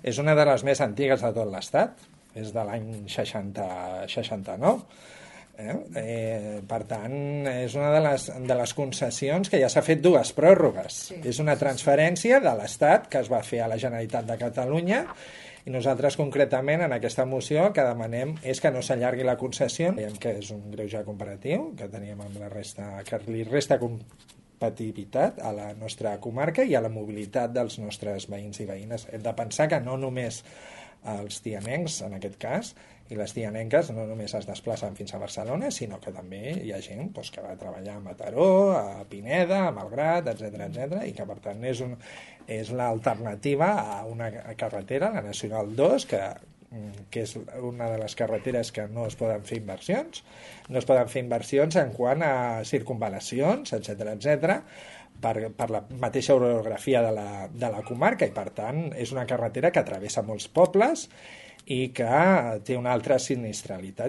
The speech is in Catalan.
És una de les més antigues de tot l'Estat, és de l'any 69. Per tant, és una de les concessions que ja s'ha fet dues pròrrogues. Sí. És una transferència de l'Estat que es va fer a la Generalitat de Catalunya i nosaltres concretament en aquesta moció que demanem és que no s'allargui la concessió, veiem que és un greuge comparatiu que teníem amb la resta, que li resta competitivitat a la nostra comarca i a la mobilitat dels nostres veïns i veïnes. Hem de pensar que no només els tianencs, en aquest cas, i les tianenques no només es desplacen fins a Barcelona, sinó que també hi ha gent que va a treballar a Mataró, a Pineda, a Malgrat, etc i que per tant és l'alternativa a una carretera, la Nacional 2, que és una de les carreteres que no es poden fer inversions. No es poden fer inversions en quant a circunvalacions, etc per la mateixa orografia de la comarca i per tant és una carretera que travessa molts pobles i que té una altra sinistralitat.